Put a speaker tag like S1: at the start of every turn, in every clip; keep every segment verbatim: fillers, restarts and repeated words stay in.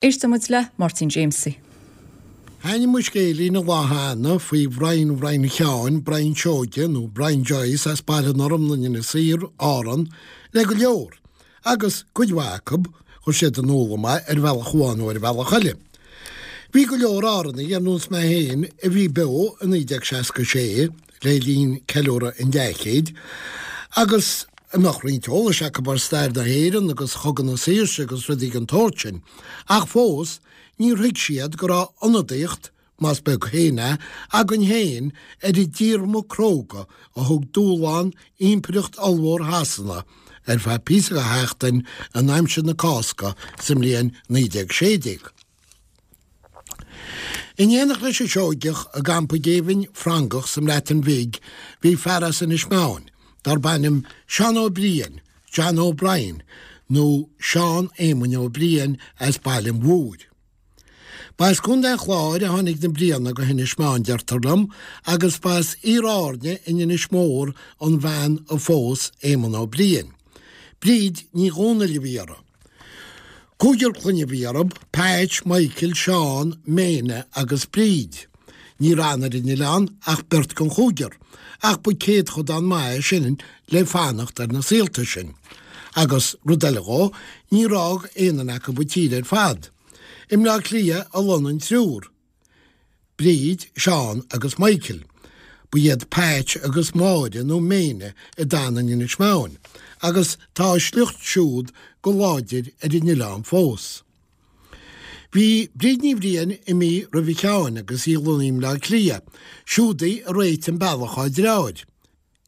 S1: Éisteann muid le Máirtín Jamesie.
S2: Thaitnigh mo scéilín an lá cheana faoi Bhrian Bhrian Sheáin, Brian Seoige nó Brian Joyce as Baile na Lorgan in Inis Oírr, Árann, le go leor, agus cuid mhaith acu, chuir siad in iúl dom é ar bhealach amháin nó ar bhealach eile. Bhí go leor Árannaigh ar nós mé féin a bhí beo i naoi déag seasca sé le linn ceiliúradh an dleathchéid, agus a mbeadh roinnt eolais acu ar stair na hÉireann agus Chogadh na Saoirse agus rudaí den tsórt sin, ach fós níor thuig siad go raibh ionadaíocht, más beag féin é, againn féin ar an díorma cróga a thug dúshlán Impireacht ollmhór Shasana ar feadh píosa de sheachtain in aimsir na Cásca sa mbliain naoi déag sé déag. In éineacht leis an Seoigeach i gcampa géibhinn Fhrancach sa mBreatain Bhig bhí fear as Inis Meáin darb ainm Seán Ó Briain, John O'Brien, nó Seán Éamoinn Ó Briain as Baile an Mhúir. Ba as Contae an Chláir a tháinig na Brianaigh go hInis Meáin, deirtear liom, agus ba as Iar-Áirne in Inis Mór an bhean a phós Éamonn Ó Briain. Bríd Ní Dhomhnaill a bhí uirthi. Cúigear clainne a bhí orthu, Patch, Michael, Seán, Méine agus Bríd. Níor fhan ar an oileán ach beirt den chúigear, ach ba céadchodán maith é sin le fanacht ar na saolta sin. Agus rud eile dhó, níor fhág aon duine acu an tír ar fad. I mBleá Cliath a lonnaigh an triúr, Bríd, Seán agus Michael. Ba iad Patch agus Máire nó Méine a d'fhan in Inis Meáin, agus tá a sliocht siúd go láidir ar an oileán fós. Bhí Bríd Ní Bhriain imithe roimhe Sheáin agus í lonnaithe i mBleá Cliath, siúd í a réitigh an bealach dhá deartháir.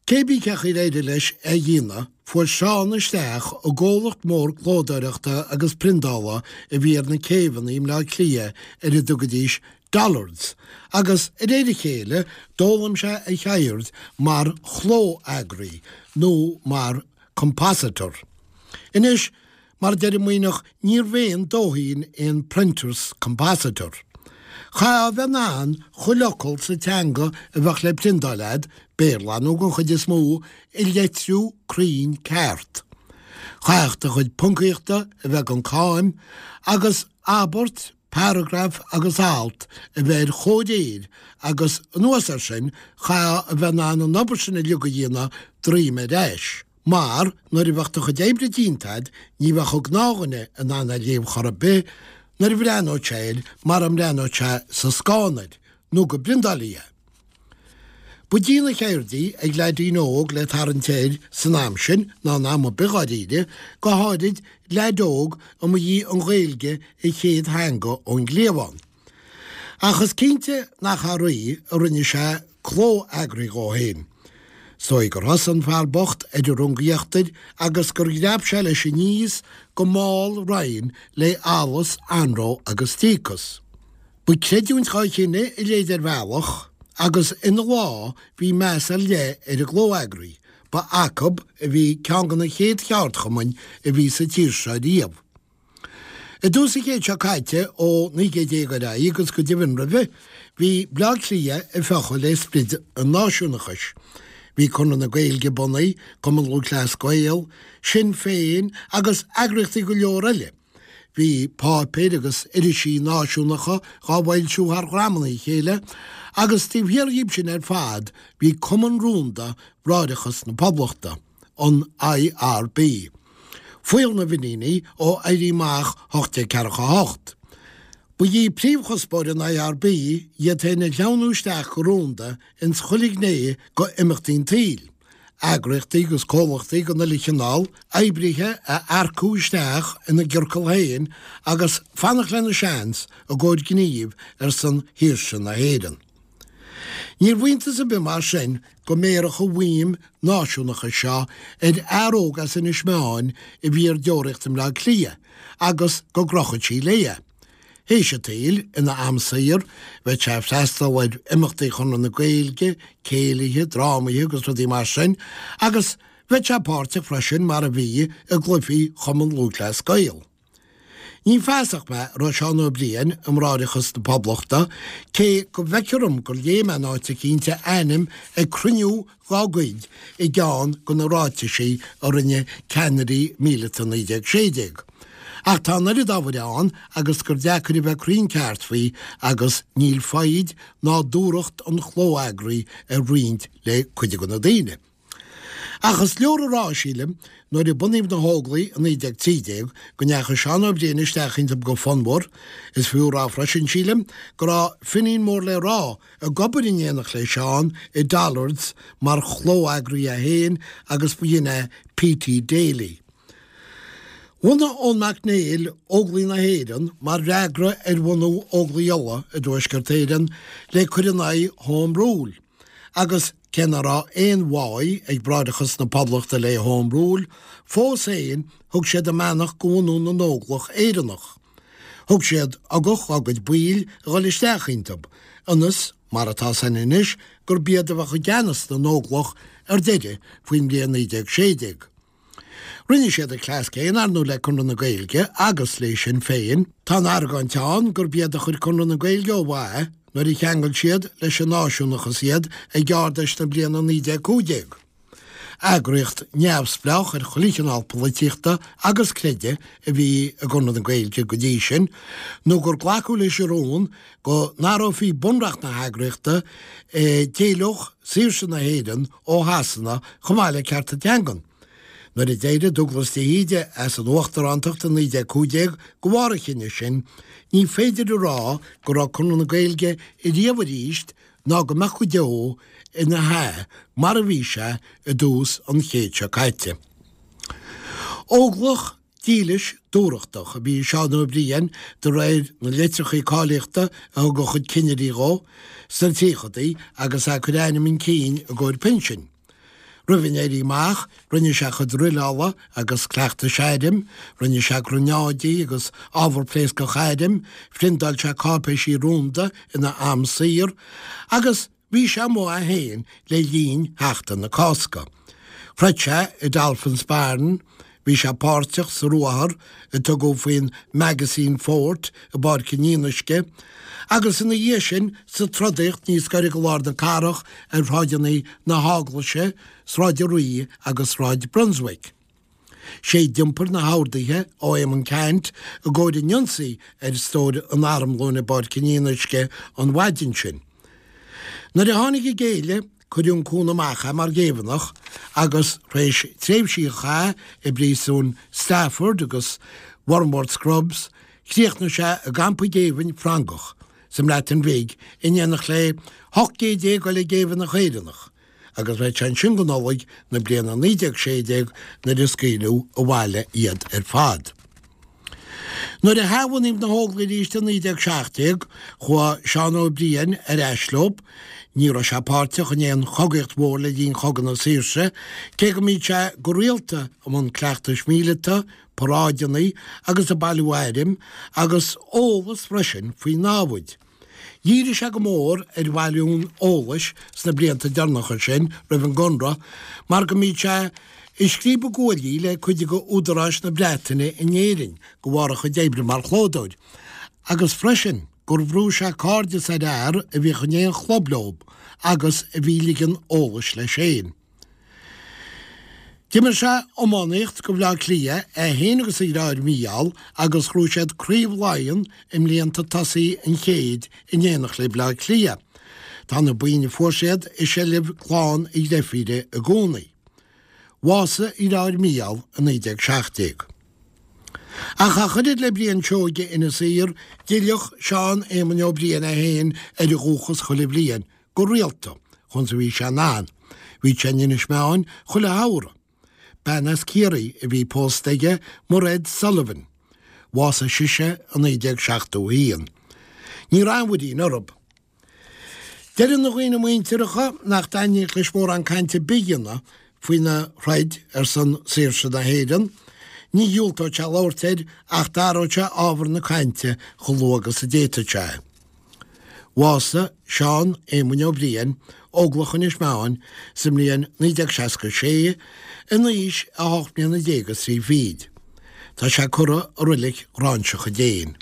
S2: Cé bith cén chaoi ar éirigh leis é a dhéanamh, fuair Seán isteach i gcomhlacht mór clódóireachta agus priondála a bhí ar na céibheanna i mBleá Cliath ar a dtugaidís Dollards, agus de réir a chéile d'fhoghlaim sé a cheird mar chló-eagraí nó mar compositor. Anois, mar a deir an Maoithneach, níorbh aon dóithín é an printer's compositor. Chaithfeá a bheith in ann chuile fhocal sa teanga a bheadh le priondáil a'd, Béarla nó den chuid is mó, a leitriú cruinn ceart. Chaithfeadh do chuid poncaíochta a bheith gan cáim agus abairt, paragraf agus alt a bheith ar chomhréir agus, anuas air sin, chaithfeá a bheith in ann an obair sin uilig a dhéanamh droim ar ais. Mar, nuair a bheadh do chuid oibre déanta a'd, ní bheadh an gnáthdhuine in ann é a léamh chor ar bith nuair a bhreathnódh sé air mara mbreathnódh sé sa scáthán air, nó go bpriondáilfí é. Ba dian an cheird í ag leaidín óg le tarraingt air san am sin, ná in am ar bith dháiríre, go háirid leaid óg a mba í an Ghaeilge a chéad theanga ón gcliabhán. Ach is cinnte nach thar oíche a rinne sé cló-eagraí dhó féin. Is dóigh gur thosaigh an fear bocht ar an runga íochtair agus gur dhreap sé leis aníos go mall righin le allas, anró agus díocas. Ba creidiúint dhá chinneadh a leithéid ar bhealach agus ina lá bhí meas ar leith ar an gcló-eagraí, ba acub a bhí ceann de na chéad cheardchumainn a bhí sa tír seo riamh. I dtús an chéid seo caite, ó naoi gcéad déag ar aghaidh agus go deimhin roimhe, bhí Bleá Cliath ag fiuchadh le sprid an náisiúnachais. Bhí Conradh na Gaeilge bunaithe, Cumann Lúthchleas Gael, Sinn Féin agus eagraíochtaí go leor eile. Bhí páipéir agus irisí náisiúnacha dhá bhfoilsiú thar dhromanna a chéile agus taobh thiar dhíob sin ar fad bhí Cumann Rúnda Bhráithreachas na Poblachta. an I R B. Fuíoll na bhFiníní ó Éirí Amach ocht déag ceathracha a hocht. Ba í príomhchuspóir an I R B iad féin a shleamhnú isteach go rúnda ins chuile ghné go imeachtaí an tsaoil, eagraíochtaí agus comhlachtaí den uile chineál, oibrithe a earcú isteach ina gciorcal féin agus fanacht lena seans i gcomhair gnímh ar son shaoirse na hÉireann. Níorbh iontas ar bith mar sin go mbéarfadh an mhaidhm náisiúnachais seo ar fhear óg as Inis Meáin a bhí ar deoraíocht i mBleá Cliath agus go gcrochfadh sí léi é. Théis an tsaoil, ina am saor, bheadh sé ag freastal ar imeachtaí Chonradh na Gaeilge, céilithe, drámaithe agus rudaí mar sin, agus bheadh sé páirteach freisin, mar a bhí, i gcluichí Chumann Lúthchleas Gael. Ní feasach mé an raibh Seán Ó Briain i mBráithreachas na Poblachta, cé go bhfeictear dom gur léigh mé in áit eicínt a ainm ag cruinniú dhá gcuid i gceann de na ráitisí a rinne ceannairí míleata naoi déag sé déag. Ach tá an oiread ábhair ann agus gur deacair a bheith cruinn ceart faoi agus níl foighid ná dúthracht an chló-eagraí ar roinnt le cuid de na daoine. Ach is leor a rá, sílim, nuair a bunaíodh na hÓglaigh i naoi déag trí déag, go ndeachaigh Seán Ó Briain isteach iontu go fonnmhar. Is fiú a rá freisin, sílim, go raibh Finín mór le rá ag obair in éineacht le Seán i Dollards mar chló-eagraí é féin agus ba shin é P T Daly. Bhunaigh Eoin Mac Néill Óglaigh na hÉireann mar fhreagra ar bhunú Óglaigh Uladh i dTuaisceart Éireann le cur in aghaidh Home Rule agus cé nach raibh aon bháidh ag Bráithreachas na Poblachta le Home Rule, fós féin thug siad a mbeannacht go bhunú na nÓglach Éireannach. Thug siad ugach dá gcuid baill a dhul isteach iontu, ionas, mar atá san anois, gurb iad a bheadh i gceannas na nÓglach ar deireadh faoin mbliain naoi déag sé déag. Rinne siad an cleas céanna, ar ndóigh, le Conradh na Gaeilge agus le Sinn Féin. Tá an argóint ann gurb iad a chuir Conradh na Gaeilge ó mhaith nuair a cheangail siad leis an náisiúnachas iad ag Ard-Fheis na bliana naoi déag cúig déag. Eagraíocht neamhspleách ar chuile chineál polaitíochta agus creidimh a bhí i gConradh na Gaeilge go dtí sin, nó gur glacadh leis an rún go n-athrófaí bunreacht na heagraíochta a d'éileodh saoirse na hÉireann ó Shasana chomh maith le cearta teangan. Nuair a d'éirigh Dubhghlas de hÍde as an uachtarántacht i naoi déag cúig déag de bharr an chinnidh sin, ní féidir a rá go raibh Conradh na Gaeilge ariamh arís ná go mbeadh go deo ina hea mar a bhí sé i dtús an chéid seo caite. Óglach dílis dúthrachtach a bhí i Seán Ó Briain de réir na litreacha cáilíochta a thug a chuid cinnirí dhó sna tríochadaí agus é ag cur a ainm chun cinn i gcomhair pinsin. Roimh an Éirí Amach, rinne sé a chuid druileála agus cleachtais airm, rinne sé gránáidí agus ábhar pléascach airm, phriontáil sé cáipéisí rúnda ina am saor, agus bhí sé amuigh é féin le linn Sheachtain na Cásca. Throid sé i Dolphin's Barn, bhí sé páirteach sa ruathar a tugadh faoin Magazine Fort i bPáirc an Fhionnuisce, agus ina dhiaidh sin sa trodaíocht níos gaire go lár na cathrach ar shráideanna na hEaglaise, Sráid an Rí agus Sráid Brunswick. Sé d'iompair na horduithe ó Éamonn Ceannt i gcomhair an ionsaí ar stór an armlóin i bPáirc an Fhionnuisce an mhaidin sin. Nuair a tháinig an géilleadh, cuireadh an cúnamh amach é mar ghéibheannach agus tar éis tréimhsí a chaitheamh i bpríosúin Stafford agus Wormwood Scrubs, chríochnaigh sé i gcampa géibhinn Francach sa mBreatain Bhig in éineacht le hocht gcéad déag eile géibheannach Éireannach agus bheadh sé ansin go Nollaig na bliana naoi déag sé déag nuair a scaoileadh abhaile iad ar fad. Nuair a hathbhunaíodh na hÓglaigh arís i naoi déag seacht déag, chuaigh Seán Ó Briain ar ais leo. Ní raibh sé páirteach in aon chogaíocht mhór le linn Chogadh na Saoirse, cé go mbíodh sé go rialta i mbun cleachtais mhíleata, paráideanna agus ag bailiú airm, agus eolas freisin faoi námhaid. Dhírigh sé go mór ar bhailiú an eolais sna blianta deireanacha sin roimh an gConradh mar go mbíodh sé ag scríobadh guaillí le cuid de údaráis na Breataine in Éirinn de bharr a chuid oibre mar chlódóir agus freisin gur bhrúigh sé cairdeas ar fhear a bhíodh in aon chlub leo agus a bhí ag ligean eolais leis féin. D'imir sé iománaíocht go Bhleá Cliath, é féin agus a dheartháir Mícheál, agus ghnóthaigh siad Craobh Laighean i mblianta tosaigh an chéid in éineacht le Bleá Cliath. Tá na boinn a fuair siad i seilbh clann a dhreifíre i gcónaí. Bhásaigh a dheartháir Mícheál i naoi déag seacht déag. Ach ach oiread le Brian Seoige Inis Oírr, d'fhilleadh Seán Éamoinn Ó Briain é féin ar a dhúchas chuile bhliain, go rialta, chun is a bhí sé in ann. Bhí sé in Inis Meáin chuile shamhradh. Bean as Ciarraí a bhí pósta aige, Mairéad Sullivan. Bhásaigh sise i naoi déag seachtó a haon. Ní raibh aon mhuirín orthu. Deireann a dhaoine muinteartha nach dtaitníodh leis mórán cainte ar bith a dhéanamh faoina throid ar son saoirse na hÉireann. Ní dhiúltódh sé labhairt air ach d'athródh sé ábhar na cainte chomh luath agus a d'fhéadfadh sé. Bhásaigh Seán Éamoinn Ó Briain, Óglach Inis Meáin, sa mbliain naoi déag seasca sé, in aois a hocht mbliana déag is trí fichid. Tá sé curtha i Reilig Ghráinseach an Déin.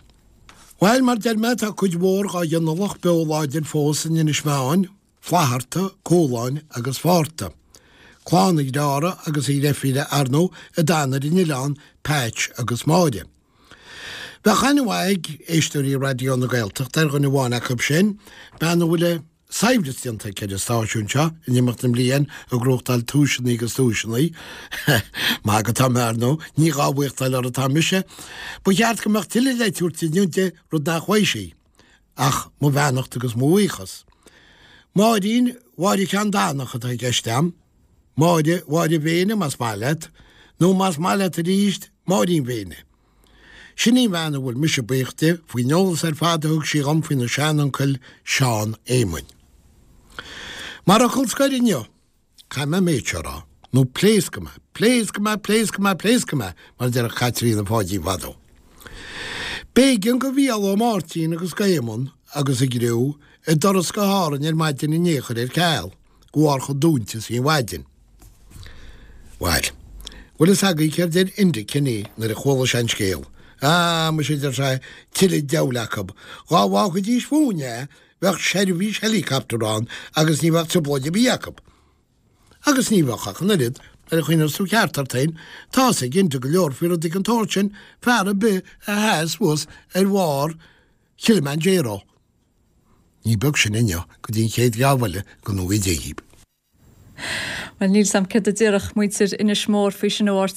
S2: Bhail, mar deir mé, tá cuid mhór dhá ghinealach beo láidir fós in Inis Meáin, Flatharta, Cualáin agus Fátharta. Clann a dhreára agus a dhreifíre, ar ndóigh, a d'fhan ar an oileán, Patch agus Máire. Bheadh aithne mhaith ag éisteoirí Raidió na Gaeltachta ar dhuine amháin acu sin, bean a bhfuil a saibhreas déanta aici ar an stáisiún seo in imeacht na mblian ag gnóthachtáil duaiseanna agus duaiseanna. Maith go tá mé ar ndóigh, ní dhá bhuíochtáil uirthi atá mise. Ba cheart go mbeadh tuilleadh le tabhairt inniu di, rud nach bhfaighidh sí, ach mo bheannacht agus mo bhuíochas. Máirín Mháire Ceanndanach atá i gceist a'm, Máire Mháire Mhéine más maith leat, nó más maith leat arís, Máirín Mhéine. Sin í an bhean a bhfuil mise buíoch di faoin eolas ar fad a thug sí dhom faoina seanuncail Seán Éamoinn. Mar fhocal scoir inniu, caithfidh mé an méid seo a rá, nó pléascfaidh mé, pléascfaidh mé, pléascfaidh mé, pléascfaidh mé, mar a déarfadh Caitríona Pháidín fadó. B'éigean go Mhícheál Ó Máirtín agus go Éamonn agus a gcriú a dturas go hÁrainn ar maidin inné a chur ar ceal, de bharr chomh dúinte is a bhí an mhaidin. Bhail, bhfuil fhios agaibh céard deir Enda Kenny nuair a chuala sé an scéal? Ah, muise, a deir sé, tuilleadh diabhail acu. Dhá bhfágfaidís fúinn é, bheadh seirbhís helicopter ann agus ní bheadh trioblóid ar bith acu. Agus ní bheadh ach an oiread, nuair a chuimhneos tú ceart ort féin, tá fhios ag Enda go leor faoi rudaí den tsórt sin, fear ar bith a sheas suas ar bharr Kilimanjaro. Ní beag sin inniu go dtí an chéad gheábh eile, go ngnóthaí Dé dhíbh.
S1: Well níl 's a'm céard a déarfadh muintir Inis Mór faoi sin a Mháirtín.